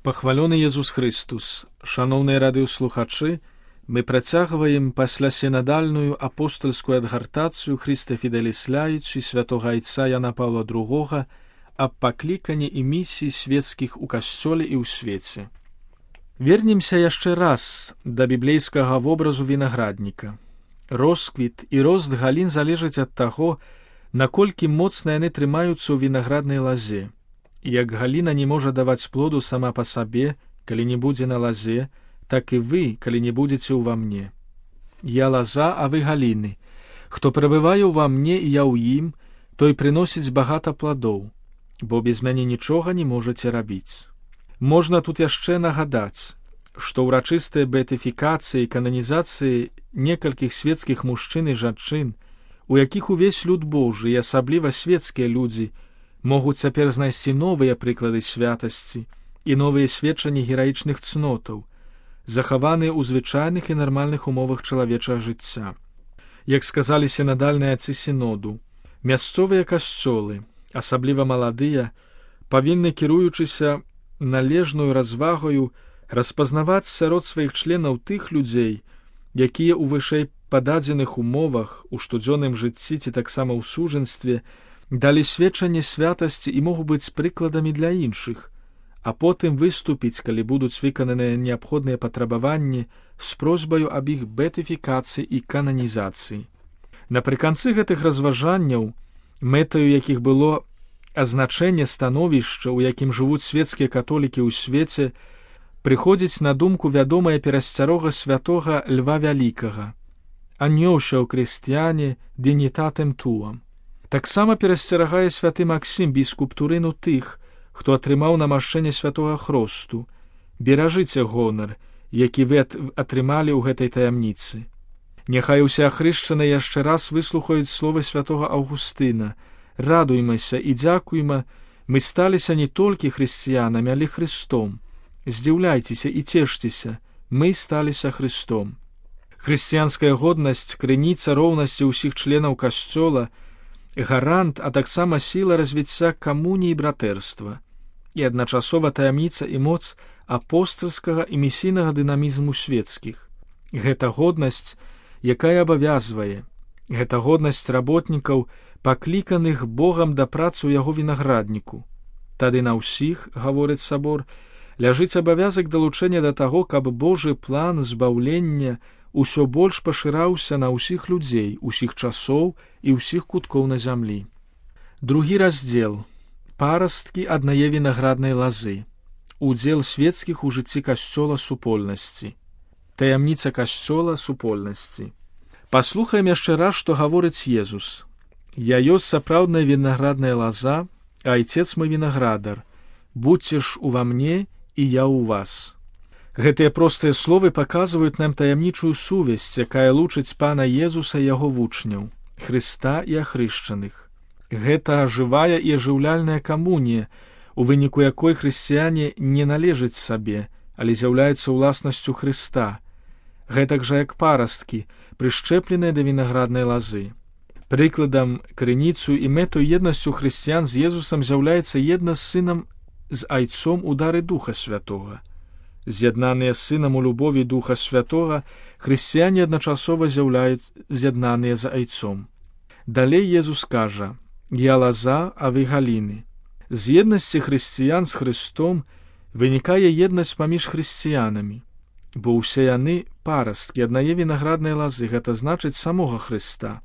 Пахвалёны Езус Христус, шаноўныя радыёслухачы, мы працягваем пасля сінадальную апостольскую адгартацыю Христа Фіделіс Ляйчы святога айца Яна Паўла II аб пакліканні і місіі свецкіх у касцёле і ў свеце. Вернемся яшчэ раз да біблейскага вобразу вінаградніка. Росквіт і рост галін залежаць ад таго, наколькі моцна яны трымаюцца ў вінаграднай лазе. Як галіна не можа даваць плоду сама па сабе, калі не будзе на лазе, так і вы, калі не будзеце ўва мне. Я лаза, а вы галіны. Хто прабывае ўва мне і я ў ім, той прыносіць багата пладоў, бо без мяне нічога не можаце рабіць. Можна тут яшчэ нагадаць, што ўрачыстыя беатыфікацыі і кананізацыі некалькіх свецкіх мужчын і жанчын, у якіх увесь люд Божы і асабліва свецкія людзі могуць цяпер знайсці новыя прыклады святасці і новыя сведчанні гераічных цнотаў, захаваныя ў звычайных і нармальных умовах чалавечага жыцця. Як сказалі сінадальныя адцы сіноду, мясцовыя касцёлы, асабліва маладыя, павінны, кіруючыся належную развагаю, распазнаваць сярод сваіх членаў тых людзей, якія ў вышэй пададзеных умовах, у штодзённым жыцці ці таксама ў сужэнстве, далі сведчанне святасці і могуць быць прыкладамі для іншых, а потым выступіць, калі будуць выкананыя неабходныя патрабаванні з просьбаю аб іх беатыфікацыі і кананізацыі. Напрыканцы гэтых разважанняў, мэтаю якіх было азначэнне становішча, у якім жывуць свецкія католікі ў свеце, прыходзіць на думку вядомая перасцярога святога Льва Вялікага «Анёўша ў крыстяне динітатем туам». Таксама перасцерагае святы Максім біскуп Турыну тых, хто атрымаў намашчэнне святога хросту. Беражыце гонар, які вы атрымалі ў гэтай таямніцы. Няхай усе ахрышчаныя яшчэ раз выслухаюць словы святога Аўгустына. Радуймася і дзякуйма, мы сталіся не толькі хрысціянамі, але Христом. Здзіўляйцеся і цешцеся, мы сталіся Христом. Хрысціянская годнасць, крыніца роўнасці ўсіх членаў касцёла, гарант, а таксама сіла развіцця камуніі і братэрства, і адначасова таямніца і моц апостальскага і місійнага дынамізму свецкіх. Гэта годнасць, якая абавязвае, гэта годнасць работнікаў, пакліканых Богам да працы ў яго вінаградніку. Тады на ўсіх, гаворыць сабор, ляжыць абавязак далучэння да таго, каб Божы план збаўлення усё больш пашыраўся на ўсіх людзей, усіх часоў і ўсіх куткоў на зямлі. Другі раздзел. Парасткі аднае вінаграднай лазы. Удзел свецкіх у жыцці касцёла супольнасці. Таямніца касцёла супольнасці. Паслухаем яшчэ раз, што гаворыць Езус. «Я ёсць сапраўдная вінаградная лаза, а айцец мой вінаградар. Будьце ж ува мне, і я ў вас». Гэтыя простыя словы паказваюць нам таямнічую сувязь, якая лучыць Пана Езуса і яго вучняў, Хрыста і ахрышчаных. Гэта жывая і ажыўляльная камунія, у выніку якой хрысціяне не належаць сабе, але з'яўляюцца ўласнасцю Хрыста. Гэтак жа як парасткі, прышчэпленыя да вінаграднай лазы. Прыкладам, крыніцу і мэту еднасцю хрысціян з Езусам з'яўляецца еднасць з сынам з айцом у дары Духа Святога. З'яднаныя з сынам у любові Духа Святога, хрысціяне адначасова з'яўляюць з'яднаныя за айцом. Далей Езус кажа: «Я лаза, а вы галіны». З еднасці хрысціян з Христом вынікае еднасць паміж хрысціянамі, бо ўсе яны парасткі аднае вінаграднай лазы, гэта значыць самога Хрыста.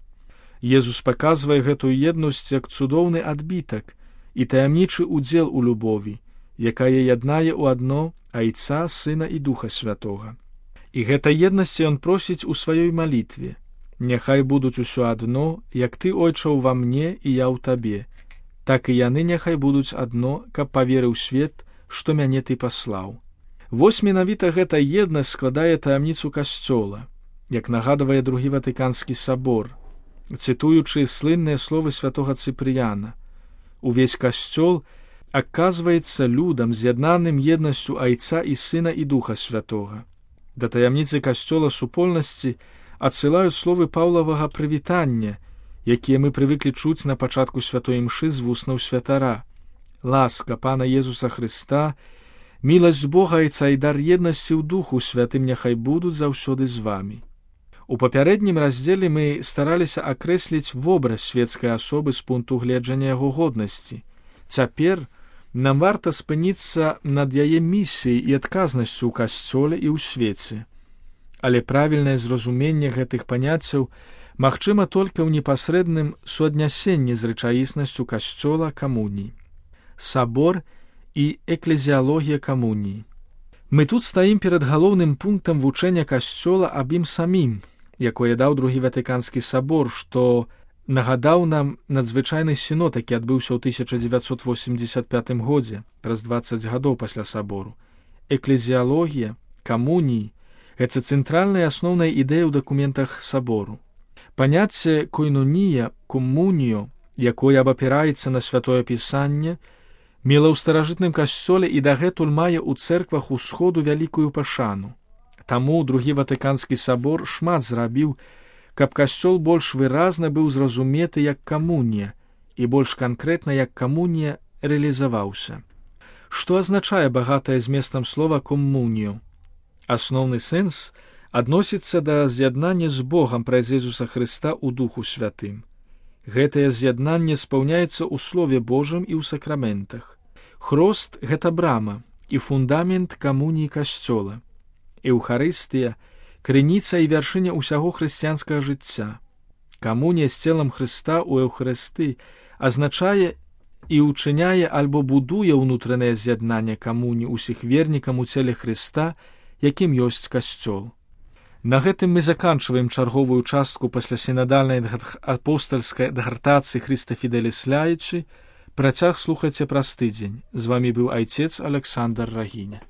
Езус паказвае гэтую еднасць як цудоўны адбітак і таямнічы удзел у любові, якая яднае ў адно Айца, Сына і Духа Святога. І гэта еднасць ён просіць у сваёй малітве: «Няхай будуць усё адно, як ты, Ойча, ува мне і я ў табе, так і яны няхай будуць адно, каб паверыў свет, што мяне ты паслаў». Вось менавіта гэта еднасць складае таямніцу касцёла, як нагадвае Другі Ватыканскі сабор, цытуючы слынныя словы святога Цыпрыяна. Увесь касцёл аказваецца людам, з'яднаным еднасцю Айца і Сына і Духа Святога. Да таямніцы касцёла супольнасці адсылаюць словы Паўлавага прывітання, якія мы прывыклі чуць на пачатку святой імшы з вуснаў святара. Ласка Пана Езуса Христа, Міласць Бога Айца і дар еднасці ў Духу Святым няхай будуць заўсёды з вамі. У папярэднім раздзеле мы стараліся акрэсліць вобраз свецкай асобы з пункту гледжання яго годнасці. Цяпер нам варта спыніцца над яе місіяй і адказнасцю ў касцёле і ў свеце. Але правільнае зразуменне гэтых паняццяў магчыма толькі ў непасрэдным суаднясенні з рэчаіснасцю касцёла камуніі. Сабор і эклезіалогія камуніі. Мы тут стаім перад галоўным пунктам вучэння касцёла аб ім самім, якое даў Другі Ватыканскі сабор, што нагадаў нам надзвычайны сінод, які адбыўся ў 1985 годзе, праз 20 гадоў пасля сабору. Эклезіалогія, камуніі – гэта цэнтральная асноўная ідэя ў дакументах сабору. Паняцце койнунія, комуніо, якое абапіраецца на святое пісанне, мела ў старажытным касцёле і дагэтуль мае ў цэрквах усходу вялікую пашану. Таму Другі Ватыканскі сабор шмат зрабіў, каб касцёл больш выразна быў зразуметы як камунія і больш канкрэтна як камунія рэалізаваўся. Што азначае багатае зместам слова комуніо? Асноўны сэнс адносіцца да з'яднання з Богам праз Ісуса Хрыста ў Духу Святым. Гэтае з'яднанне спаўняецца ў Слове Божым і ў сакраментах. Хрост – гэта брама і фундамент камуніі касцёла. Еўхарыстыя – крыніца і вяршыня ўсяго хрысціянскага жыцця. Камунія з целам Хрыста ў Еўхарысты азначае і ўчыняе альбо будуе ўнутранае з'яднанне камуніі ўсіх вернікам у целе Хрыста, якім ёсць касцёл. На гэтым мы заканчваем чарговую частку паслясінадальнай апостальскай дагартацыі Хрыста Фіделіс Ляйчы. Працяг слухайце праз тыдзень. З вамі быў айцец Александр Рагіня.